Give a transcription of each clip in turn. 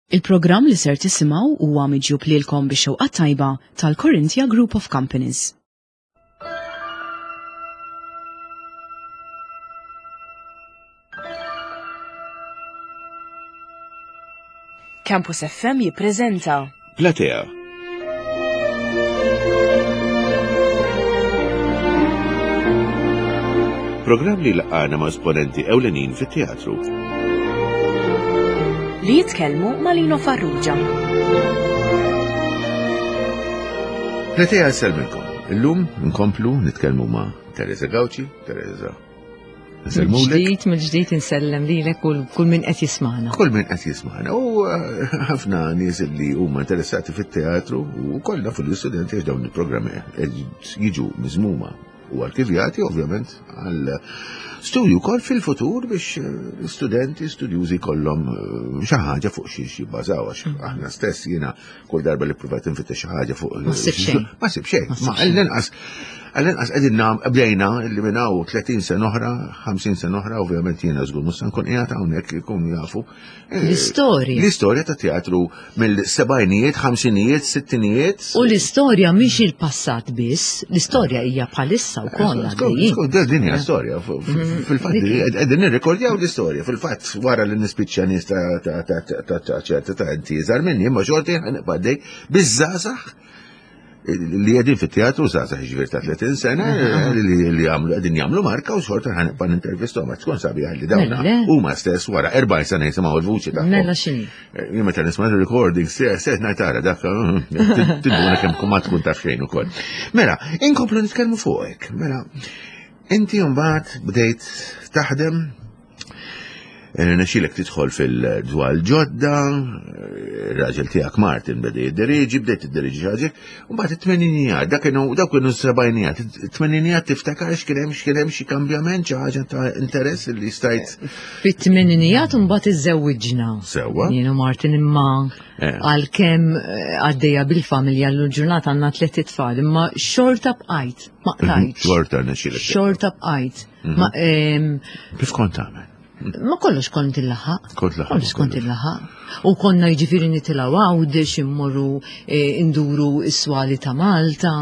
Il-programm li ser tisimgħu huwa miġjub lilkom bix-xewqa tajba tal-Corinthia Group of Companies. Campus FM jippreżenta Platea. Programm li laqgħana ma' esponenti ewlenin fit-teatru. Li jitkellmu ma' Lino Farrugia. Platea nsellmilkom. Illum nkomplu nitkellmu ma' Teresa Gauci, Teresa Mill-ġdid, mill-ġdid insellem lilek u kull min qed jismana. Kull min qed jismana. U eh, ħafna nies li huma interessati fit-teatru u kollha fil-istudenti għax dawn il-programmi jiġu miżmuma u arkivjati ovvjament għal studju wkoll fil-futur biex eh, studenti, studjużi kollhom eh, xi ħaġa fuq xi jibbażaw għax mm. aħna stess jiena Kull darba li pruvat infittex xi ħaġa fuq. Ma sib xejn. Ma sib xejn. Ma għall-inqas għall-inqas qegħdin nam bdejna li minn hawn 30 sena oħra, 50 sena oħra, ovvjament jiena żgur mhux se nkun qiegħed hawnhekk ikunu jafu. Eh, L-istorja. L-istorja ta' teatru mill-sebgħinijiet, ħamsinijiet, sittinijiet. U l-istorja mhix il-passat biss, l-istorja hija bħalissa wkoll. Skont, din hija storja. Mm-hmm. Fil-fatt qegħdin nirrekordjaw l-istorja. Fil-fatt wara li nispiċċa nies ta' ċerta ta' inti iżgħar minni, imma xorti ħanibqa' dej biż-żgħażagħ li qegħdin fit-teatru żgħażagħ ġifier ta' 30 sena li jagħmlu qegħdin jagħmlu marka u xorta ħanibqa' nintervistahom għax tkun sabiħ li dawn huma stess wara 40 sena jisimgħu l-vuċi tagħhom. Mela x'inhi. Eh, jien meta nisma' recording se se ngħid tara dak eh, tinduna kemm ma tkun taf xejn ukoll. Mela, inkomplu nitkellmu fuqek. Mela, inti mbagħad bdejt taħdem eh, Nexilek tidħol fil-dwal ġodda, raġel tiegħek Martin beda jiddiriġi, bdejt tiddiriġi ħaġa, u mbagħad it-tmeninijat, dak kienu dawk kienu s-sebgħinijat, it-tmeninijat tiftakar x'kien hemm x'kien hemm xi kambjament, xi ħaġa ta' interess li stajt. Fit-tmeninijat mbagħad iżżewwiġna. Sewwa. Jien u Martin imma eh. għalkemm eh, għaddejja bil-familja l-ġurnata għandna tliet itfal, imma xorta bqajt, ma qtajt. Xorta nexxilek. Xorta bqajt. Mhm. Kif kont tagħmel? Ma kollox kont il-laħaq. Kollox kont il-laħaq. U konna jiġifieri nitilgħu Għawdex immorru eh, induru s-swali ta' Malta.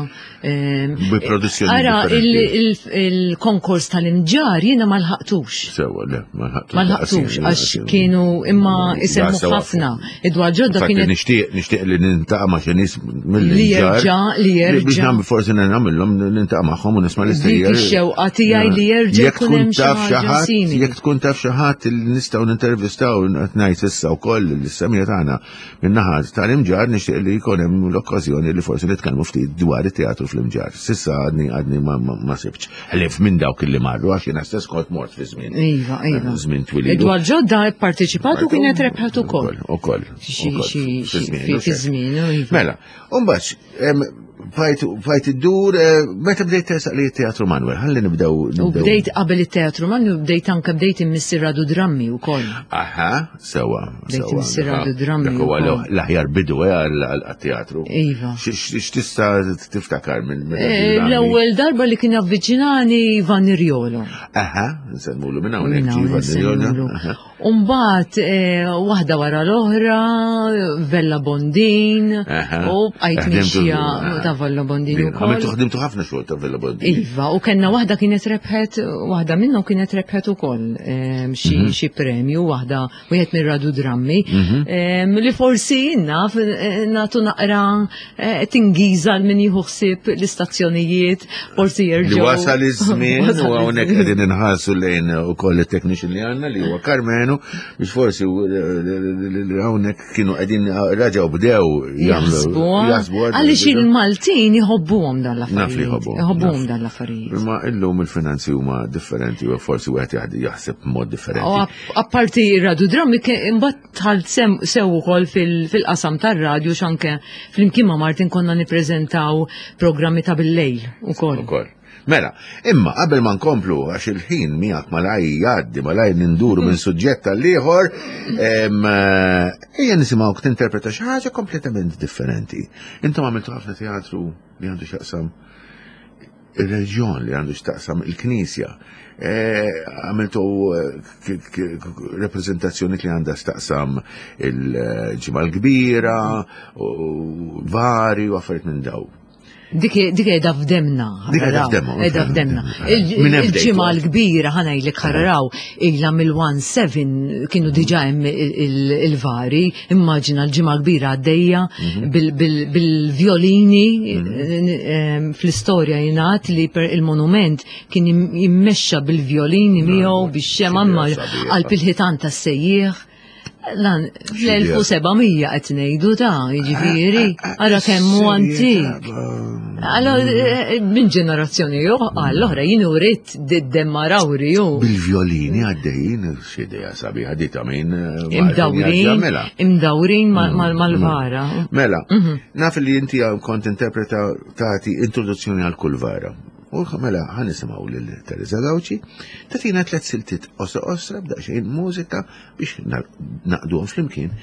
Ehm, Bi produzzjoni. Ara il-konkors tal-imġar jiena ma lħaqtux. Sewa, le, ma lħaqtux. Ma lħaqtux għax kienu imma isemmu ħafna. Id-dwar ġodda kienet. Nixtieq nixtieq li nintaqa' ma' xi nies mill Li jerġa' li jerġa'. Biex nagħmel forsi nagħmilhom nintaqa' magħhom u nisma' l-istejjer. Dik ix-xewqa tiegħi li jerġa' jkun hemm xi ħaġa simili. Jekk tkun taf xi ħadd li nistgħu nintervistaw qed ngħid issa wkoll l-semija tagħna min-naħa tal-imġar nixtieq li jkun hemm l-okkażjoni li forsi nitkellmu ftit dwar it-teatru fl-imġar. Sissa għadni għadni ma sibx. Ħlief minn dawk li marru għax jiena stess kont mort fi żmien. Iva, iva. Żmien twil. Dwar ġodda pparteċipat u kienet rebħet ukoll. Ukoll. Fi żmien. Iva. Mela, u mbagħad Fajt id-dur, eh, meta bdejt tersaq li teatru Manuel, ħalli nibdew. U bdejt qabel it-teatru Manuel, bdejt anke bdejt immissi radu drammi u koll. Aha, sewa. Bdejt immissi radu drammi. Dak huwa l-aħjar bidu eh, għal-teatru. Iva. X'tista' tiftakar minn eh, L-ewwel darba li kien avviċinani Ivan Irjolo. Aha, nsemmulu minn hawnhekk Ivan Irjolo. Umbat, eh, waħda wara l-oħra, Vella Bondin, u bqajt mixja ta' Vella Bondin. Għamiltu ħdimtu ħafna xogħol ta' Vella Bondin. Iva, u kellna waħda kienet rebħet, waħda minnhom kienet rebħet ukoll ehm, xi mhm. premju, waħda wieħed mir radu drammi, mhm. ehm, li forsi naf eh, nagħtu naqra eh, tingiża l min jieħu ħsieb l-istazzjonijiet, forsi jerġgħu. Li wasal iż-żmien u hawnhekk qegħdin inħarsu lejn ukoll it-technician li għandna li huwa Karmenu biex forsi hawnhekk kienu qegħdin raġgħu bdew jagħmlu. Jaħsbu. Għaliex il-Maltin jħobbuhom dan l-affarijiet. Naf li jħobbuhom. Jħobbuhom dan l-affarijiet. Imma illum il-finanzi huma differenti u forsi wieħed jaħseb b'mod differenti. Apparti radu drammi imbagħad dħalt sew ukoll fil-qasam tar-radju x'anke flimkien ma' Martin konna nippreżentaw programmi ta' bil-lejl ukoll. Ukoll. Mela, imma qabel ma nkomplu għax il-ħin miegħek malaj jgħaddi malaj ninduru minn suġġett għal ieħor, eh, ejja nisimgħu tinterpreta xi ħaġa kompletament differenti. Intom għamiltu ħafna teatru li għandu x'jaqsam. ir-reġjon li għandu x'taqsam il-Knisja. Eh, għamiltu eh, reprezentazzjoni li għandha x'taqsam il-ġimgħa l-kbira, vari u affarijiet minn daw. Dik qiegħda f'demna. Dik qiegħda f'demna. Qiegħda f'demna. Il-ġimgħa l-kbira ħanajlek ħarraw ilha mill-17 kienu diġà hemm il-vari, immaġina l-ġimgħa kbira għaddejja mhm. bil-violini mhm. eh, fl-istorja jingħad li il-monument kien jimmexxa bil-violini miegħu bix-xema qalb il-ħitan tas-sejjieħ. Lan, fl-1700 qed ngħidu ta' jiġifieri, ara kemm hu antik. Allora eh, minn ġenerazzjoni għall-oħra jien urid d-demma rawri ju. Bil-violini għaddejjin x'idea sabiħa di ta' min. Eh, imdawrin, imdawrin mm, mal-vara. Mm. Mela, mhm. naf li inti kont interpreta tagħti introduzzjoni għal kull vara. U mela ħan nisimgħu lil Teresa Gawċi tagħtina tliet siltiet osra osra b'daqsxejn mużika biex naqduhom flimkien.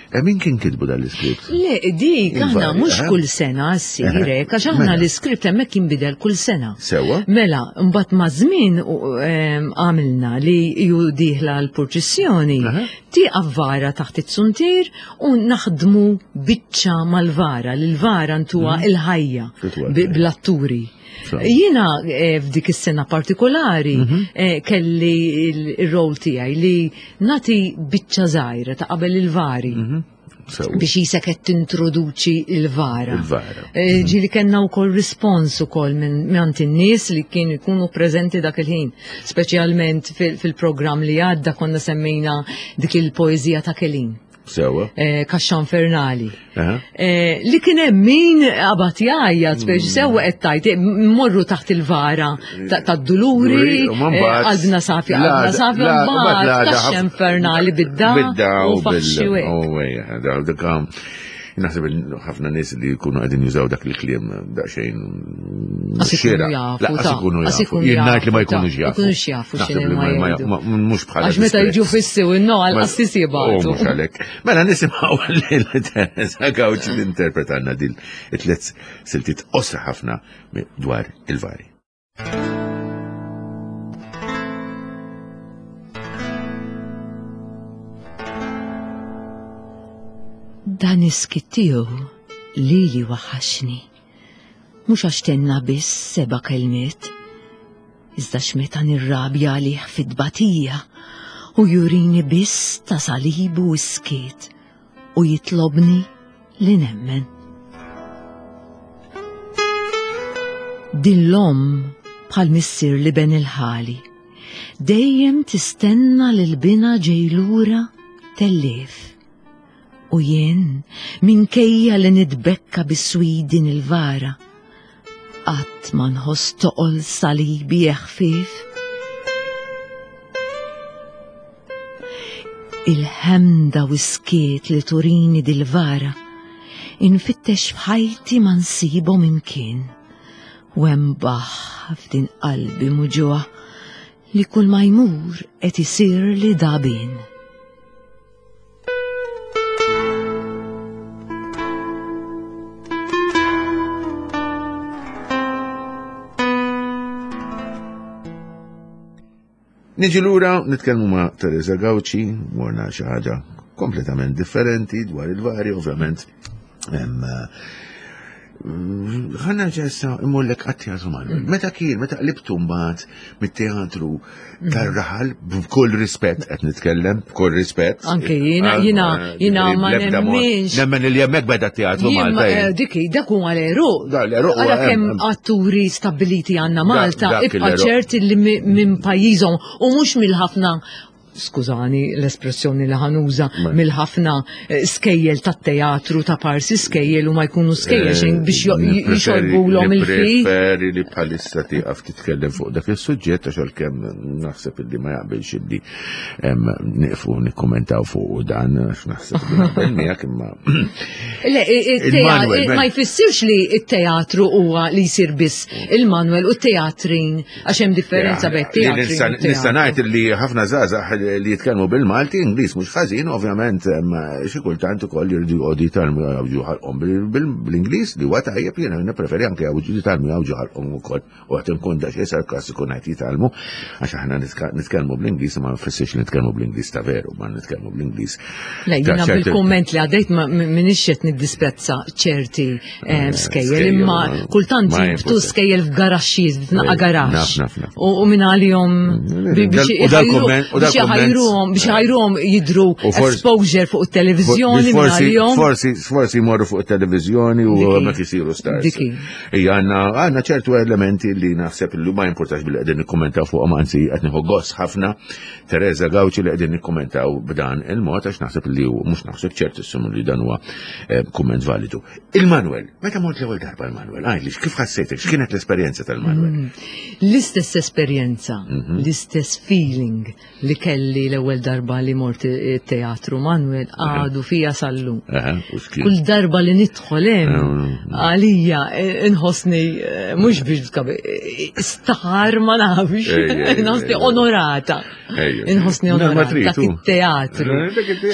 E min kien kitbu dan l-iskript? Le, dik aħna mhux eh? kull sena ssir hekk, għax aħna mela. l-iskript hemmhekk jinbidel kull sena. Sewwa. Mela, mbagħad ma' żmien għamilna li ju dieħla l-purċissjoni, tieqaf vara taħt it-suntier u naħdmu biċċa mal-vara, li l-vara ntuha mhm. il-ħajja bl-atturi. Jiena eh, f'dik is-sena partikolari mhm. eh, kelli il-rol tiegħi li nati biċċa żgħira ta' qabel il-vari. Mhm. Biex jisek qed tintroduċi il-vara. Il-vara. Eh, mhm. Ġieli kellna wkoll rispons ukoll minn għand in-nies li kienu jkunu preżenti dak il-ħin. Speċjalment fil-programm li għadda konna semmejna dik il-poeżija ta' Kelin. Sewa. Eh, kaxxa infernali. Eh, li kien hemm min qabad jgħajjat biex mm. sewwa qed tajt eh, morru taħt il-vara tad-duluri, qalbna safi, qalbna safi, mbagħad kaxxa infernali bidda u faxxi Naħseb ħafna nies li jkunu qegħdin jużaw dak il-kliem daqsxejn xira. Laqas ikunu jafu. Jien ngħid li ma jkunux jafu. Jkunux jafu x'inhu Mhux bħala. Għax meta jiġu fissiw in-no għal qassis jibgħatu. Mhux għalhekk. Mela nisimgħu lil Teresa Gawċi tinterpretanna dil it-tliet siltiet qosra ħafna dwar il-vari. Dan is-skit tiegħu lili waħħaxni. Mhux għax tenna biss seba' kelmiet, iżda x'meta nirrabja għalih fit-tbatija u jurini biss ta' salibu s-skiet u jitlobni li nemmen. Din l-omm bħal missier li ben il-ħali, dejjem tistenna lil binha ġej lura tellief. U jien, minkejja li nitbekka biswid din il-vara, Qatt ma nħoss toqol salibi eħfief. Il-ħemda u skiet li turini dil-vara, infittex f'ħajti ma nsibhom imkien. U hemm baħ f'din qalbi muġugħa li kull ma jmur qed isir li dabin. Niġi lura nitkellmu ma' Teresa Gauci, morna xi ħaġa kompletament differenti dwar il-vari, ovvjament. Ħanna ġessa immollek għat-teatru Manuel. Mm. Meta kien, meta qlibtu mbagħad mit-teatru mm. tar-raħal, b'kull rispett qed nitkellem, b'kull rispett. Anke jiena jiena jiena ma nemminx. Nemmen li hemmhekk beda teatru Malta. Eh, diki, dak huwa l-eruq. L-eruq. Ara kemm atturi stabiliti għandna Malta, ibqa' ċert li minn pajjiżhom u mhux mill-ħafna skużani l-espressjoni li ħanuża mill-ħafna eh, skejjel tat-teatru ta' parsi skejjel u ma jkunu skejjel eh, xejn biex jixorbulhom il-fi. Preferi li bħalissa tieqaf titkellem fuq dak is-suġġett għax għalkemm naħseb illi ma jaqbilx illi nieqfu nikkumentaw fuq dan għax naħseb li naqbel miegħek imma. Le, ma jfissirx li t-teatru huwa li jsir biss il-Manuel u t-teatrin Għax hemm differenza bejn teatri. Nista' ngħid li ħafna żgħażagħ li jitkellmu bil-Malti, Ingliż mhux ħażin, ovvjament xi kultant ukoll jridu joqogħdu jitgħallmu jgħawġu ħalqhom bl-Ingliż li huwa tajjeb jiena nippreferi anke jitgħallmu jgħawġu ħalqhom ukoll. U għat nkun da xi sarkastiku ngħid jitgħallmu għax aħna nitkellmu bl-Ingliż ma nfissirx li nitkellmu bl-Ingliż ta' veru, ma nitkellmu bl-Ingliż. Le, jiena bil-kumment li għaddejt m'iniex qed niddisprezza ċerti eh, skejjel, imma kultant jibtu skejjel f'garaxxijiet, f'naqa eh, garaxx. U minn għalihom mm, biex iħajruhom biex iħajruhom jidru exposure fuq it-televiżjoni minn għalihom. Forsi forsi jmorru fuq it-televiżjoni u hemmhekk isiru stars. Ija, għanna għanna ċertu elementi li naħseb li ma jimportax billi qegħdin nikkommentaw fuqhom anzi qed nieħu gost ħafna Teresa Gawċi li qegħdin nikkommentaw b'dan il-mod għax naħseb li hu mhux naħseb ċertissimu li dan huwa eh, kumment validu. Il-Manuel, meta mort l-ewwel darba l-Manuel, għidli kif ħassejtek, x'kienet l-esperjenza tal-Manuel? Mm. L-istess esperjenza, mhm. l-istess feeling li kelli l-ewwel darba li mort it-teatru Manuel għadu fija sallum. Kull darba li nidħol hemm għalija eh, inħossni eh, mhux biex tkabi eh, star ma nafx, inħossni onorata. Inħossni onorata dak it-teatru.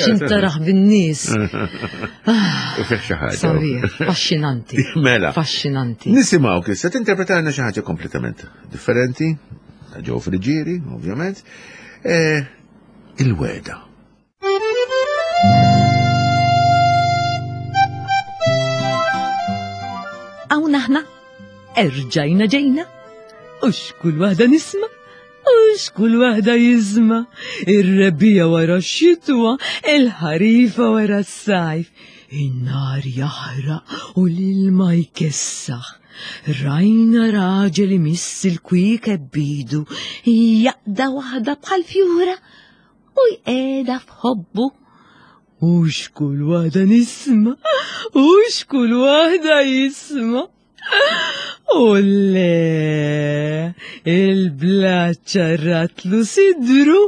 Xintaraħ bin-nies. Sabiħ, affaxxinanti. Mela. Affaxxinanti. Nisimgħu kif se tinterpretalna xi ħaġa kompletament differenti Ġew Friġieri, ovvjament, e, il-weda. Hawn aħna, erġajna ġejna, u xkull waħda nisma' u xkull waħda jisma' ir-rebbija wara x-xitwa, il-ħarifa wara s-sajf, in-nar jaħraq u l-ilma jkessaħ. Rajna raġel imiss il-kwiekeb b'idu, jaqda waħda bħal fjura u jqegħda f'ħobbu. U xkull waħda nisma, u xkull waħda jisma. U le, il-blat ċarratlu sidru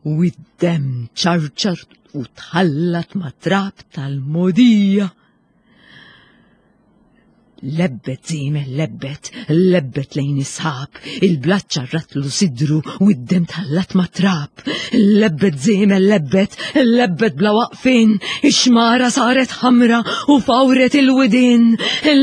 u id-dem ċarċar u tħallat ma' trab tal-modija. Lebbet żiemel lebbet, lebbet lejn is-sħab, il-blat ċarratlu sidru u d-dem tħallat ma' trab. Lebbet żiemel lebbet, lebbet bla waqfin, ix-xmara saret ħamra u fawret il-widien.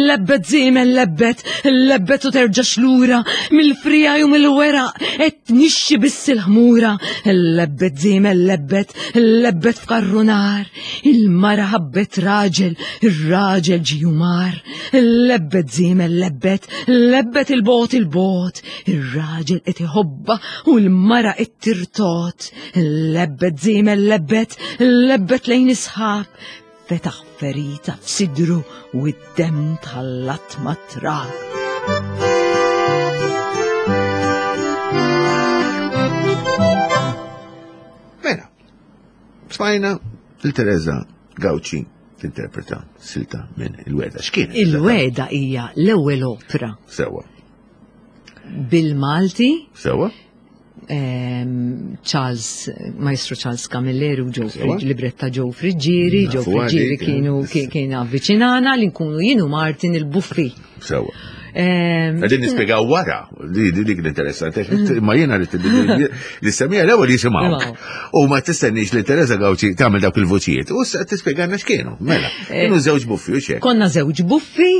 Lebbet żiemel lebbet, lebbet u terġax lura, mill-frijaj u mill-weraq qed tnixxi biss il-ħmura. Lebbet żiemel lebbet, lebbet f'karru nar. Il-mara ħabbet raġel, ir-raġel ġie umar. Lebbet żiemel lebbet, lebbet il-bot il-bot. Ir-raġel qed iħobba u l-mara qed tirtot. Lebbet żiemel lebbet, lebbet lejn isħab. Fetaħ ferita f'sidru u id-dem tħallat mat-trab. Mela, Smajna il-Teresa Gauci tinterpreta silta minn Il-Weda. X'kien? Il-Weda hija l-ewwel opra. Sewa. Bil-Malti. Sewa. Ehm, Charles, Maestro Charles Camilleri u Joe Friġġieri, libretta Joe Friġġieri, Joe Friġġieri kienu kien avviċinana li nkunu jienu Martin il-Buffi. Sewa. Għedin nispiegaw wara, li dik l-interessanti, mm. ma jena li li semija l-ewwel jisimgħu. U ma tistennix li Teresa Gawċi tagħmel dawk il-vuċijiet. U tispjegana x'kienu, mela. Eh, kienu żewġ buffi u xejn. Konna żewġ buffi,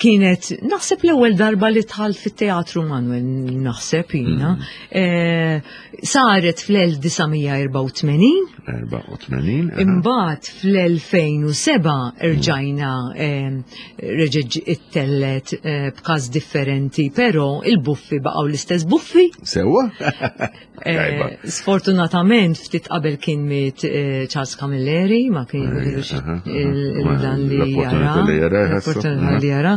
kienet naħseb l-ewwel darba li tħalt fit-teatru Manuel naħseb jiena. Mm. Eh, saret fl-1984. 84. Imbagħad fl-2007 rġajna reġgħet ittellet eh, b'każ differenti, però il-buffi baqgħu l-istess buffi. Sewwa? Eh, sfortunatament ftit qabel kien miet eh, Charles Camilleri, ma kien dan li jara. L-opportunità li jara.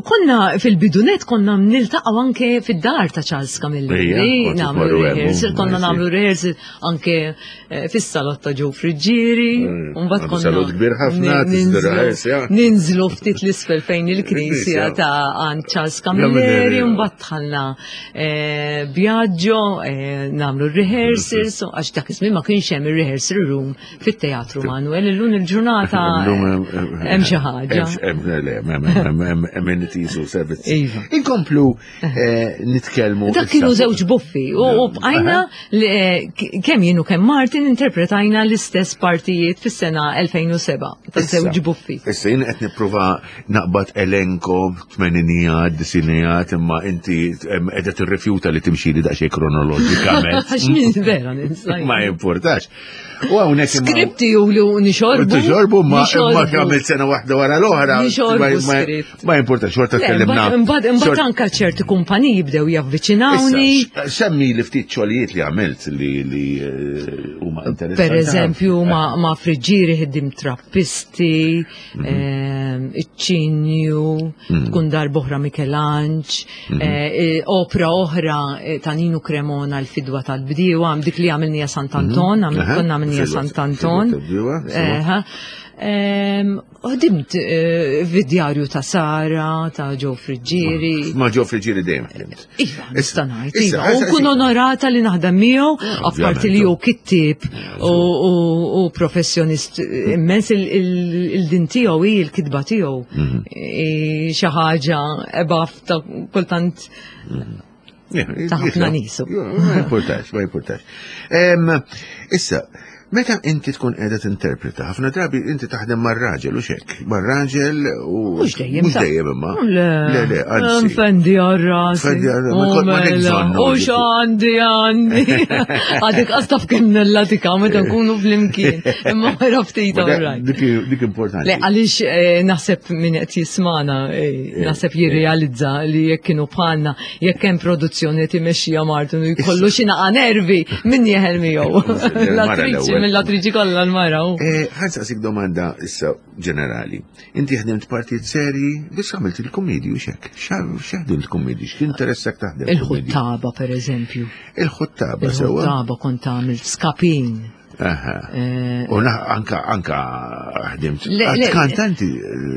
Konna fil-bidunet konna niltaqgħu anke fid-dar ta' Charles Camilleri, nagħmlu rehearsal, konna nagħmlu rehearsal anke eh, fis-salott ta' Joe Friggieri, mm, u mbagħad konna Salott kbir ħafna, ninżlu ftit l-isfel fejn il-knisja ta' għand Charles Camilleri, mbagħad dħalna eh, Biagio, eh, nagħmlu rehearsals, għax dak iż-żmien ma kienx hemm ir-rehearsal room fit-Teatru Manuel, illum il-ġurnata hemm xi ħaġa. Hemm amenities u servizzi. Iva. Inkomplu eh, nitkellmu. Dak kienu żewġ buffi u bqajna eh, kemm jienu kemm Martin interpretajna l-istess partijiet fis-sena 2007 ta' żewġ buffi. Issa jien qed nipprova naqbad elenko tmeninijat, disinijat, imma inti qiegħda tirrifjuta li timxi li daqsxejn kronoloġikament. Għax min vera ninsa. Ma jimpurtax. U hawnhekk Skripti u li nixorbu. Tixorbu ma imma għamilt sena waħda wara l-oħra. Nixorbu skript. Ma jimpurtax, xorta tkellimna. Imbagħad imbagħad anke ċerti kumpaniji bdew javviċinawni. Semmi li ftit xogħlijiet li għamilt li li eh, huma interessanti. Per eżempju ma' friġġieri ħiddim trappisti, mhm. ehm, iċ-ċinju, mhm. tkun darboħra Mikelanġ, Mhm. Eh, eh, opra oħra eh, ta' Ninu Cremona l-fidwa tal-bdiewa, dik li għamilnija Sant'Anton, mhm. konna għamilnija Sant'Anton. Ħdimt fid-djarju ta' Sara, ta' Ġo Friġġieri. Ma' Ġo Friġġieri dejjem ħdimt. Iva, nista' ngħid, iva. U kun onorata li naħdem miegħu, apparti li hu kittieb u professjonist immens il-din tiegħu hi l-kitba tiegħu. Mhm. Xi ħaġa above ta' kultant ta' ħafna nisu. Ma importax, ma importax. Issa, meta inti tkun qiegħda tinterpreta, ħafna drabi inti taħdem mar-raġel u xek, mar-raġel u. Mhux dejjem. Mhux dejjem imma. Le, le, anzi. Fendi għar-ras. Fendi għar-ras. Ma mela, U x'għandi għandi. Għadik qastaf kemm nellatika meta nkunu flimkien. Imma wara ftit Dik importanti. Le, għaliex eh, naħseb min qed jismana, eh, eh, naħseb jirrealizza li jekk kienu bħalna, jekk hemm produzzjoni qed imexxija Martin u jkollu xi naqa' nervi min jeħel miegħu. L-attriċi mill-attriċi kollha l-mara. Ħa nsaqsik domanda issa ġenerali. Inti ħdimt partijiet serji, biss għamilt il-kumedji u xek. X'ħdimt kumedji? X'interessek taħdem? Il-ħuttaba per eżempju. Il-ħuttaba sewa. Il-ħuttaba kont għamilt skapin. Eh, u anka anka ħdimt. Kantanti.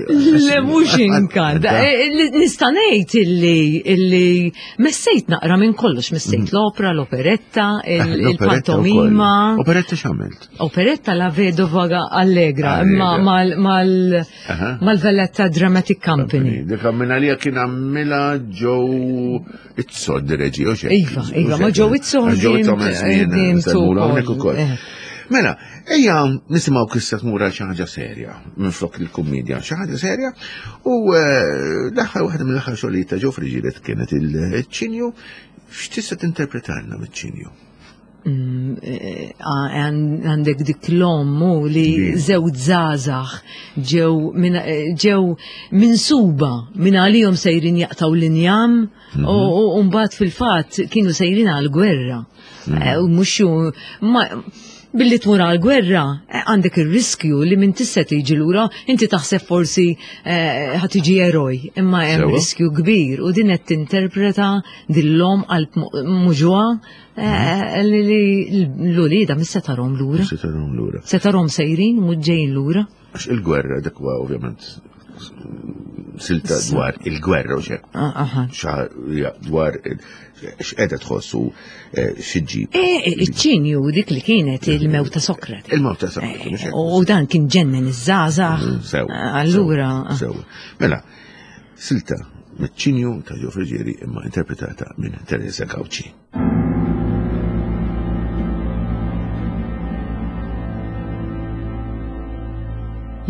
Le mhux inkant. Eh, nista' ngħid illi illi messejt naqra minn kollox, messejt mm. l-opera, l-operetta, ah, il-pantomima. Operetta x'għamilt? Operetta la Vedova Allegra, imma mal-Valletta Dramatic Company. Dik minn għalija kien għamilha ġew Itzod direġi, u xek. Iva, iva, ma ġew itzod. Ġew itzod, ukoll. Eh. Mela, ejja nisimgħu kissa tmur għal xi ħaġa serja minn flok il-kumedja, xi ħaġa serja u eh, l-aħħar waħda mill-aħħar xogħlijiet ta' Ġofri ġiret kienet il-ċinju, x'tista' tinterpretalna miċ-ċinju? Mm, eh, għandek dik l-ommu li żewġ żgħażagħ ġew eh, ġew minsuba minn għalihom sejrin jaqtaw l-injam mhm. u mbagħad fil-fatt kienu sejrin għall-gwerra. Mhm. Eh, u mhux billi tmur għall-gwerra għandek ir-riskju li minn tista' tiġi lura inti taħseb forsi ħa tiġi eroj, imma hemm riskju kbir u din qed tinterpreta dil-lom qalb muġwa Eh, li l-ulida mis setarom lura. Setarom lura. Setarom sejrin, mhux ġejjin lura. Għax il-gwerra dak huwa ovvjament silta dwar il-gwerra u xek. Ah, dwar x'qeda tħossu eh, xi eh, Iċ-ċinju dik li kienet il-mewta Sokrate. Il-mewta Sokrate. U dan kien ġennen iż-żgħażagħ. Mm, allura. Sew. Mela, Silta miċ-ċinju ta' Ġo Friggieri imma interpretata minn Teresa Gauci.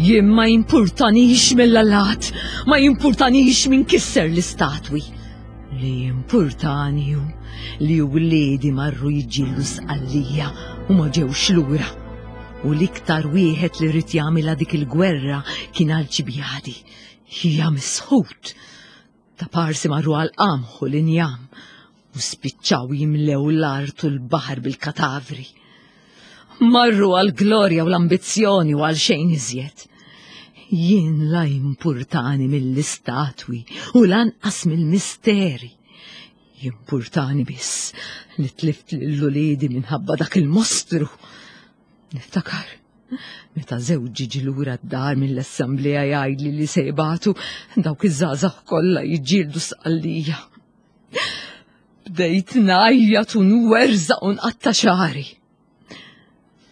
Jien ma jimpurtanix mill-allat, ma jimpurtanix minn kisser l-istatwi. Li jimpurtani hu li wliedi marru jiġġieldu Sqallija u ma ġewx lura. U l-iktar wieħed li ried jagħmilha dik il-gwerra kien Alċibjadi. Hija misħut. Ta' parsi marru għal qamħ u l-injam u spiċċaw jimlew l-art u l-baħar bil-katavri. Marru għal glorja u l-ambizzjoni u għal xejn iżjed. Jien la jimpurtani mill-istatwi u lanqas mill-misteri. Jimpurtani biss li tlift lil uliedi minħabba dak il-mostru. Niftakar. Meta żewġi ġie lura d-dar mill-assemblea jgħidli li se jibagħtu dawk iż-żgħażagħ kollha jiġġieldu Sqallija. Bdejt ngħajjat u nwerżaq u nqatta' xagħri.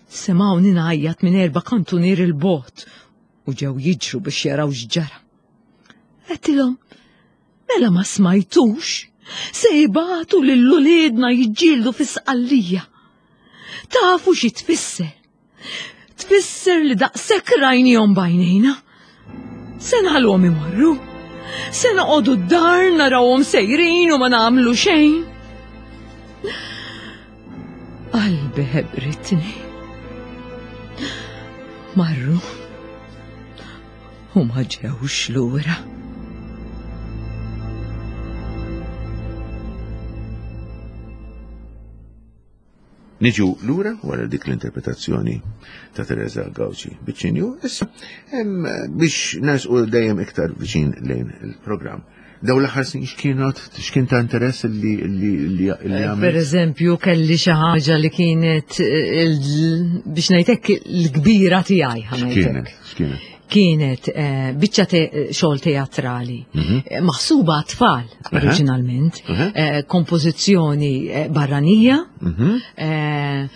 Semgħuni ngħajjat minn erba' kantunier il-bogħod u ġew jiġru biex jaraw x'ġara. Għedtilhom, mela ma smajtux, se jibagħtu lil uliedna jiġġieldu fi Sqallija. Tafu xi tfisser? Tfisser li daqshekk rajnihom b'għajnejna. Se nħalluhom imorru. Se noqogħdu d-dar narawhom sejrin u ma nagħmlu xejn. Qalbi ħebritni. Marru u ma ġewx lura. Niġu lura wara dik l-interpretazzjoni ta' Teresa Gauci Biċċinju, issa biex nersqu dejjem iktar viċin lejn il-programm. Daw l-aħħar snin x'kienot, x'kien ta' interess li li li eh, għamil? Per eżempju, kelli xi ħaġa li kienet eh, biex ngħidlek l-kbira tiegħi ħanajtek. X'kienet? Kienet eh, biċċa xogħol teatrali, mhm. maħsuba għat-tfal oriġinalment, kompożizzjoni barranija, mhm.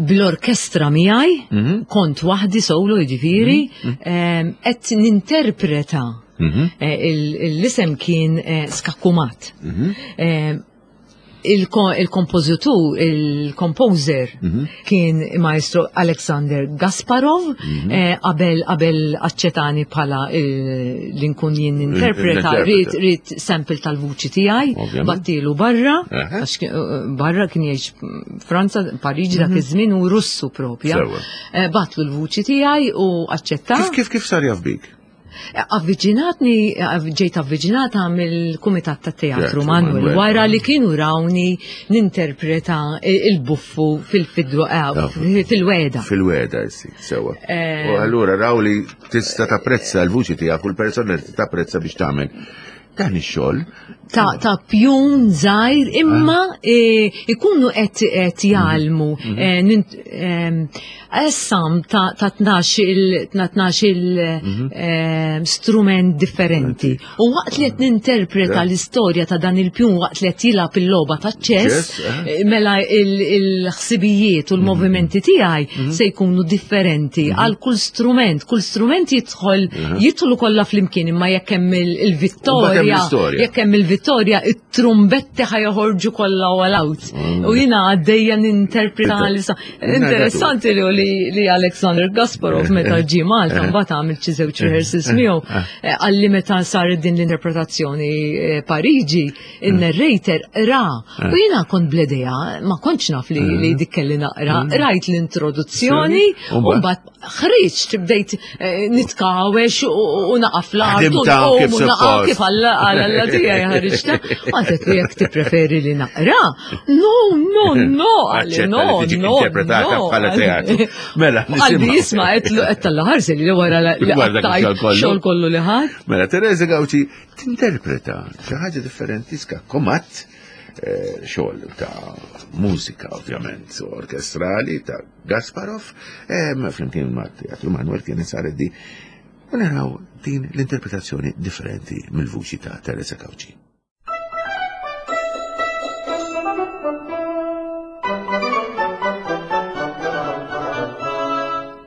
bl-orkestra miegħi, mhm. kont waħdi solo jiġifieri, qed ninterpreta l-isem kien Skakkumat. Il-kompożitur, il-composer mhm. kien maestro Alexander Gasparov, mhm. eh, qabel qabel aċċetani bħala eh, li nkun jien interpreta, rrit rrit sample tal-vuċi tiegħi, battilu barra, għax eh, barra kien jgħix Franza, Pariġi dak mhm. iż-żmien u Russu propja. Batlu l-vuċi tiegħi u aċċetta. Kif kif kif sar jaf bik? Avviċinatni, ġejt avviċinata mill-Kumitat ta' Teatru Manuel wara li kienu rawni ninterpreta il-buffu fil-fidwa eh, fil-weda. Fil-weda, sì, sewa. Eh, u allura raw li tista' tapprezza l-vuċi tiegħek u l-persona li tapprezza biex tagħmel dan ix-xogħol. Ta', ta pjun żgħir imma ah. e, ikunu qed qed jgħallmu mhm. e, essam ta' 12 il mhm. e, strument differenti. U waqt li qed ninterpreta l-istorja ta' dan il-pjun waqt li qed jilgħab il-logħba ta' ċess, eh? mela il-ħsibijiet u l-movimenti mhm. tiegħi se jkunu differenti għal kull strument, kull strument jidħol mhm. jidħlu kollha flimkien imma jekk hemm il-vittorja, jekk hemm il-vittorja, it-trumbetti ħa joħorġu kollha all out. Mm. U jiena għaddejja ninterpreta l Interessanti li li Alexander Gasparov meta ġie Malta eh. mbagħad għamil xi żewġ rehearsals miegħu eh. Eh, għalli meta saret din l-interpretazzjoni Pariġi, il-narrator ra. U jiena kont bledea, ma kontx naf li li dik kelli naqra, rajt l-introduzzjoni u mbagħad ħriġt bdejt eh, nitkawwex u naqaf l-art u naqa' kif Alla Alla tiegħi ħariġta. Għadet li jekk tippreferi li naqra. No, no, no, għalli no, no. Interpretata bħala teatru. Mela, Qalbi jisma' qed tal-ħarsi li wara li xogħol kollu li ħadd. Mela, Teresa Gauci tinterpreta xi ħaġa differenti ska komat eh, xogħol ta' mużika ovvjament orkestrali ta' Gasparov, flimkien ma' Teatru Manuel kien saret di u naraw din l-interpretazzjoni differenti mill-vuċi ta' Teresa Cauci.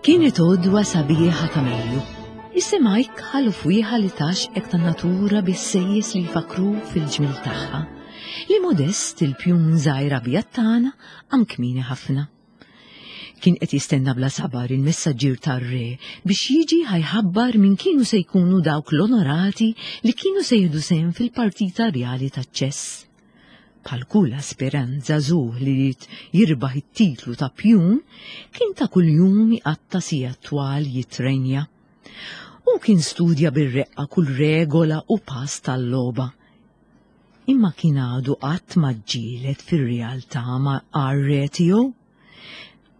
Kienet għodwa sabiħa ta' Mejju. Is-sema jkħal u fwieħa li tgħaxxqek tan-natura bis-sejjes li jfakkru fil-ġmiel tagħha. Li modest il-pjun żgħir abjad tagħna qam kmieni ħafna. Kien qed jistenna bla sabar il-messaġġier tar-re biex jiġi ħa jħabbar min kienu se jkunu dawk l-onorati li kienu se jieħdu sehem fil-partita rjali taċ-ċess. Bħal kull aspirant żagħżugħ li ried jirbaħ it-titlu ta' pjun, kien ta' kuljum iqatta' sigħat twal jittrenja. Hu kien studja bir-reqqa kull regola u pass tal-logħba. Imma kien għadu qatt ma ġġieled fir-realtà ma' r-re tiegħu.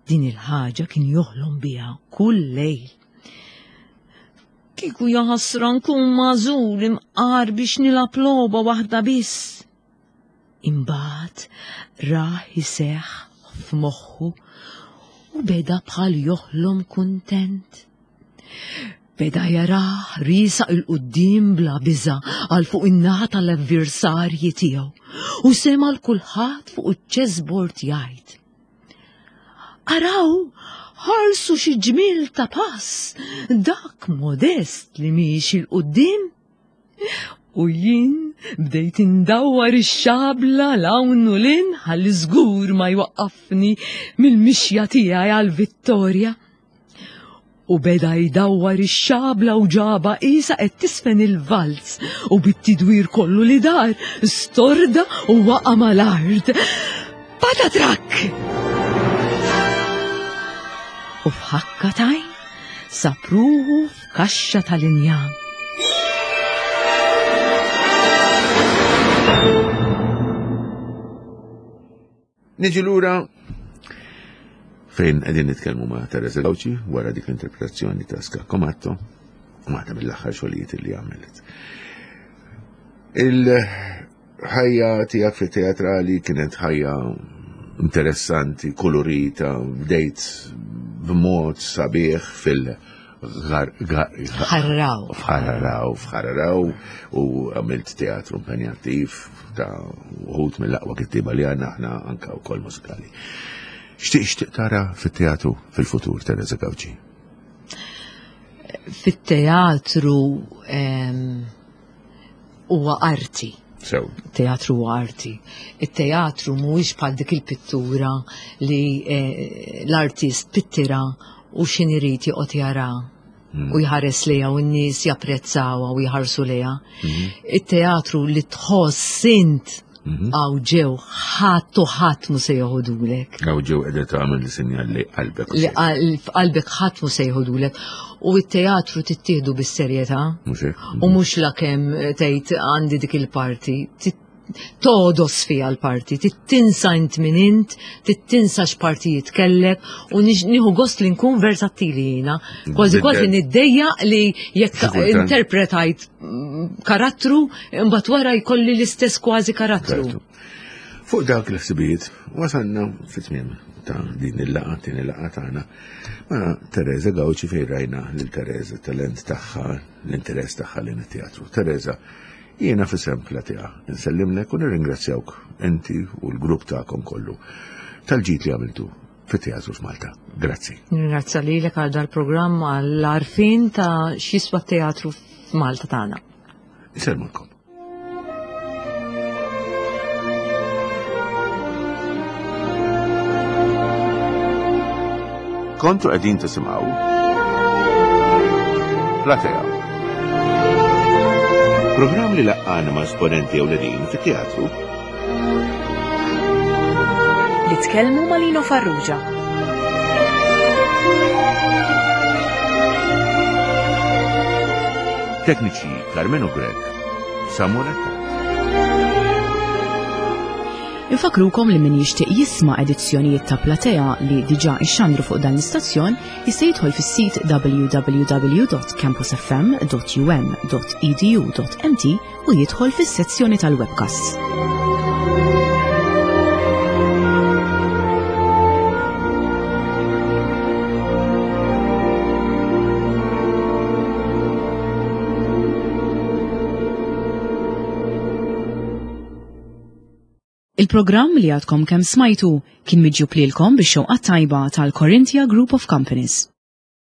Din il-ħaġa kien joħlom biha kull lejl. Kieku jaħasra nkun magħżul imqar biex nilgħab logħba waħda biss. Imbagħad rah iseħħ f'moħħu. U beda bħal joħlom kuntent. Beda jarah riesaq 'il quddiem bla biża' għal fuq in-naħa tal-avversarji tiegħu u sema' 'l kulħadd fuq iċ-chessboard jgħid. Araw, ħarsu xi ġmiel ta' pass, dak modest li miexi 'l quddiem. U jien bdejt indawwar ix-xabla 'l hawn u 'l hinn ħalli żgur ma jwaqqafni mill-mixja tiegħi għall-vittorja. U beda jdawwar ix-xabla u ġaba qisha qed tisfen il-valz u bit-tidwir kollu li dar storda u waqa' mal-art. Patatrak! U f'ħakka t'għajn sab ruħu f'kaxxa tal-injam. Niġi lura fejn qegħdin nitkellmu ma' Teresa Gauci wara dik l-interpretazzjoni ta' Scaccomatto, waħda mill-aħħar xogħlijiet li għamilet. Il-ħajja tiegħek fit-teatrali kienet ħajja interessanti, kolorita, bdejt b'mod sabiħ fil- Ħarraw. F'Ħarraw, f'Ħarraw u għamilt teatru impenjattiv ta' uħut mill-aqwa kittiba li għandna aħna anka wkoll mużikali. Xtieq xtieq tara fit-teatru fil-futur, Teresa Gauci? Fit-teatru huwa arti. Sew. Teatru huwa arti. It-teatru mhuwiex bħal dik il-pittura li eh, l-artist pittira u x'in irid joqgħod jara hmm. u jħares lejha u n-nies japprezzawha u jħarsu lejha. Hmm. It-teatru li tħoss int mhm. Għaw ġew ħadd u ħadd mu se joħodulek. Għaw ġew qiegħda tagħmel li sinjal li qalbek. Li qalbek ħadd mu se joħodulek. U t-teatru tittieħdu bis-serjetà. U mhux lakemm tgħid għandi dik il-parti. Todos fiha l-parti, tinsa int min int, tinsa x'partijiet kellek u nieħu gost li nkun versatili jiena. Kważi kważi niddejja li jekk interpretajt karattru, imbagħad wara jkolli l-istess kważi karattru. Fuq dawk il-ħsibijiet wasalna fit-tmiem ta' din il-laqa, din il-laqa tagħna ma' Teresa Gauci fejn rajna lil Teresa talent tagħha, l-interess tagħha lejn it-teatru. Teresa, jiena f'isem Platea nsellimlek u nirringrazzjawk inti u l-grupp tagħkom kollu tal-ġid li għamiltu fit-teatru f'Malta. Grazzi. Nirringrazzja lilek għal dal-programm għall-għarfien ta' x'jiswa t-teatru f'Malta tagħna. Insellmulkom. Kontu qegħdin tisimgħu Platea. Programm li laqqana ma' esponenti ewlenin fit-teatru Li tkellmu ma' Lino Farrugia. Tekniċi Carmenu Grech, Samuel Attard. Infakrukom li min jixtieq jisma' edizzjonijiet ta' Platea li diġà ixxandru fuq dan l-istazzjon jista' jidħol fis-sit www.campusfm.um.edu.mt u jidħol fis-sezzjoni tal-webcasts. Il-programm li għadkom kemm smajtu kien miġjub lilkom bix-xewqa tajba tal-Corinthia Group of Companies.